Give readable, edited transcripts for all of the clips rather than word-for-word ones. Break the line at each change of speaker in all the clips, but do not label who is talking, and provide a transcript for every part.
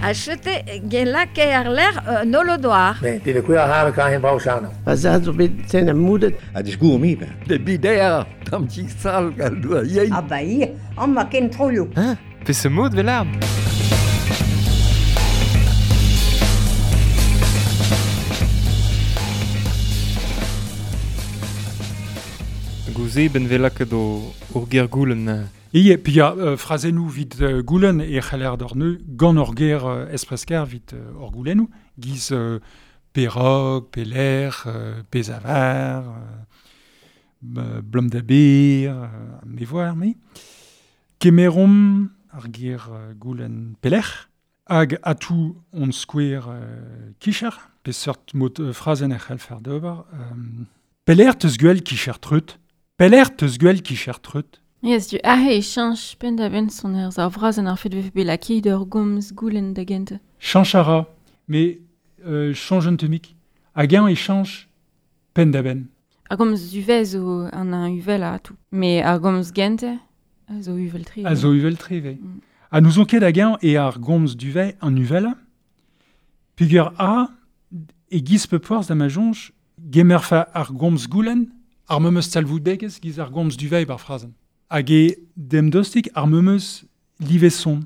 A chete gen lake ar ler nolodoar.
Ne, det er kuer har kan hen brau sano.
Pa za zo bet ten am moudet.
A disgour mi ben.
De bider, tam ti sal gal doa yein.
Ah ba ie, an ma ken troioù.
Hein? Pe se mod vel Gouze ben velaket o ur ger goulen.
Ie, pi ya frazennoù vit goulen e c'haller d'or neu gant ur ger espresker vit ur goulennoù, giz perog, peler, pezavar, blom da bir, me voar, me. Kemerom ar ger goulen peler, hag atou on skouer kicher, pe seurt mot frazen e c'hell fer d'ober. Peler teus gwell kicher treut. Peler teus gwell kicher treut.
Yes, du ahe e chanch pen da ben son er ar vrazen ar fet vefe bet lakaet ur gomz goulen da gente.
Chanch a ra, me chanj un temik. Hag eñ e chanch pen da ben.
Ar gomz uvel zo an un uvel a atou. Me ar gomz gente a zo uvel tre.
A zo uvel tre, ve. A nous on ket hag eñ e ar gomz duvet an uvel. Pugur a e giz pe porzh da ma jonch gemerfa ar gomz goulen ar memeus talvoudegezh giz ar gomz duvet bar frazen. Hag e demdostik ar memeus liveson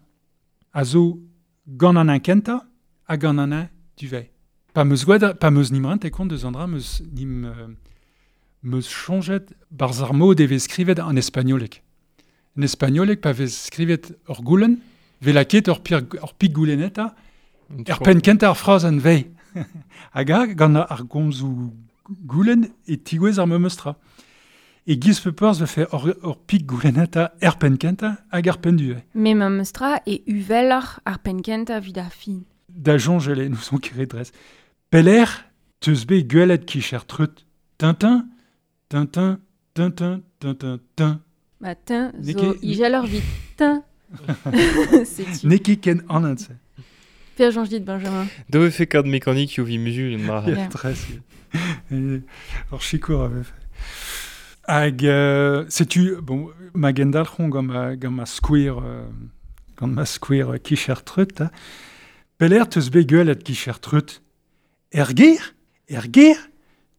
a zo gant an un kenta ha gant an un duvet. Pa meus gwad, pa meus nimrent e kont deus an dra meus nim meus chonjet barz ar mod e vez skrivet an espagnolek. En espagnolek pa vez skrivet ur goulen, ve laket ur pik gouleneta, er pen kenta ar frazen vei. Hag a gant ar gomzou goulen e tigouez ar memeus tra. E giz pe peurz vefe ur pik gouleneta er pen kenta hag ar pen duet.
Me memeus tra e uveloc'h ar pen kenta vid ar fin.
Da jonjele, nous on kere dres. Peler, teus bet gwelet kicher treut. Tintin, tintin, tintin, tintin, tin.
Ba tin zo ijeloc'h vit tin. Setu.
N'eo ket ken anat se.
Per jonj dit, Benjamin.
Do vefe kad mekanik yo vi muzul en dra.
Yeah. Dres. Ur chikour a vefe. Hag setu, bon, ma gendalc'hon gant ma skouer kicher treut, ha. Peler teus bet gwelet kicher treut. Er ger,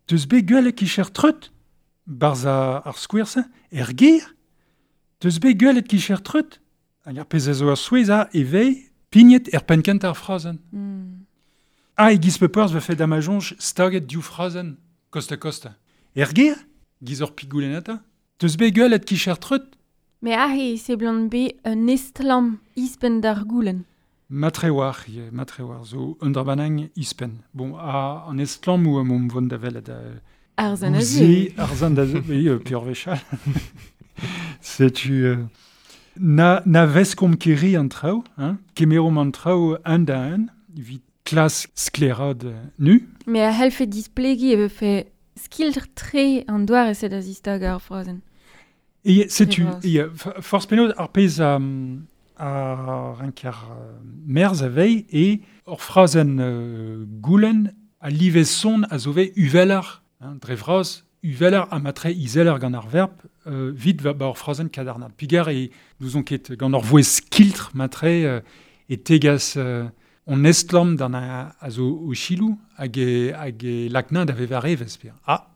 teus bet gwelet kicher treut. Barz ar skouer-se, er ger, teus bet gwelet kicher treut. Hag ar pezh a zo ar souezh a e vei pignet er penn kent ar frazen. Ah, e giz pe peurz vefe da ma jonj staget div frazen, kost a kost. Er ger, giz ur pigoulenata, teus bet gwelet kicher treut.
Me ahe e seblant be un estlamm ispenn d'ar goulen.
Matre war, zo un dra banang ispenn. Bon, a an estlamm ou am vont da welet
Ar zan a zu.
Ar zan da zu, oui, pur vechal. Setu na veskomp keri an traoù, hein, kemeromp an traoù un da un, evit klas sklerad nu.
Me a c'hellfe displegi e vefe skiltr tre an doare se da zistag ar frazen.
E setu, e forz penaos ar pezh a renker merz a vei e ur frazen goulen a liveson a zo vei uvelar, hein, dre vras, uvelar a matre izelar gant ar verb vit va ba ur frazen kadarnad. Pigar e nous on ket gant ur voez skiltr matre e tegas on estlamm d'an a zo o chilou hag e lakna da veva revez per. Ah,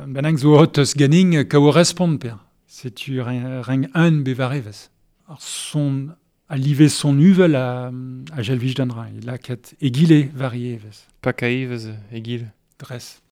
benang zo hot eus ganing ka o respond per. Setu reng un beva revez. Ar son a live son uvel a jelvij d'an ra. E laket egile varievez.
Pakaevez egile.
Dres.